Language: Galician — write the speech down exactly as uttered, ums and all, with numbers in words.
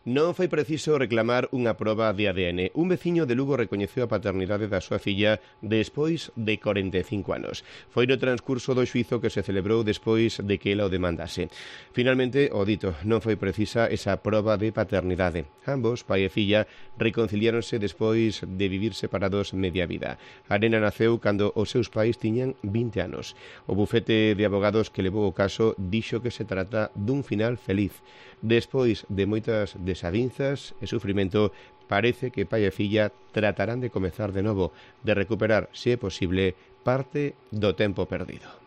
Non foi preciso reclamar unha proba de A D N. Un veciño de Lugo recoñeceu a paternidade da súa filla despois de corenta e cinco anos. Foi no transcurso do xuízo que se celebrou despois de que ela o demandase. Finalmente, o dito, non foi precisa esa proba de paternidade. Ambos, pai e filla, reconciliáronse despois de vivir separados media vida. A nena naceu cando os seus pais tiñan vinte anos. O bufete de abogados que levou o caso dixo que se trata dun final feliz. Despois de moitas desavinzas e sufrimento, parece que pai e filla tratarán de comezar de novo, de recuperar, se é posible, parte do tempo perdido.